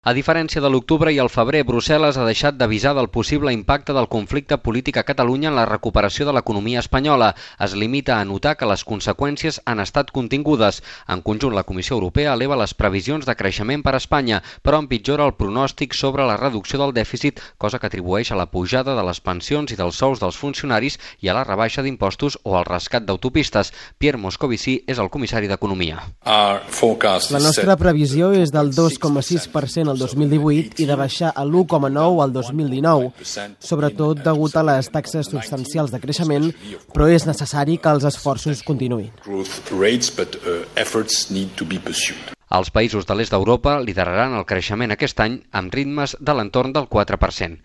A diferència de l'octubre i el febrer, Brussel·les ha deixat d'avisar del possible impacte del conflicte polític a Catalunya en la recuperació de l'economia espanyola. Es limita a notar que les conseqüències han estat contingudes. En conjunt, la Comissió Europea eleva les previsions de creixement per a Espanya, però empitjora el pronòstic sobre la reducció del dèficit, cosa que atribueix a la pujada de les pensions i dels sous dels funcionaris i a la rebaixa d'impostos o al rescat d'autopistes. Pierre Moscovici és el comissari d'Economia. La nostra previsió és del 2,6% el 2018 i de baixar a l'1,9 al 2019, sobretot degut a les taxes substancials de creixement, però és necessari que els esforços continuïn. Els països de l'est d'Europa lideraran el creixement aquest any amb ritmes de l'entorn del 4%.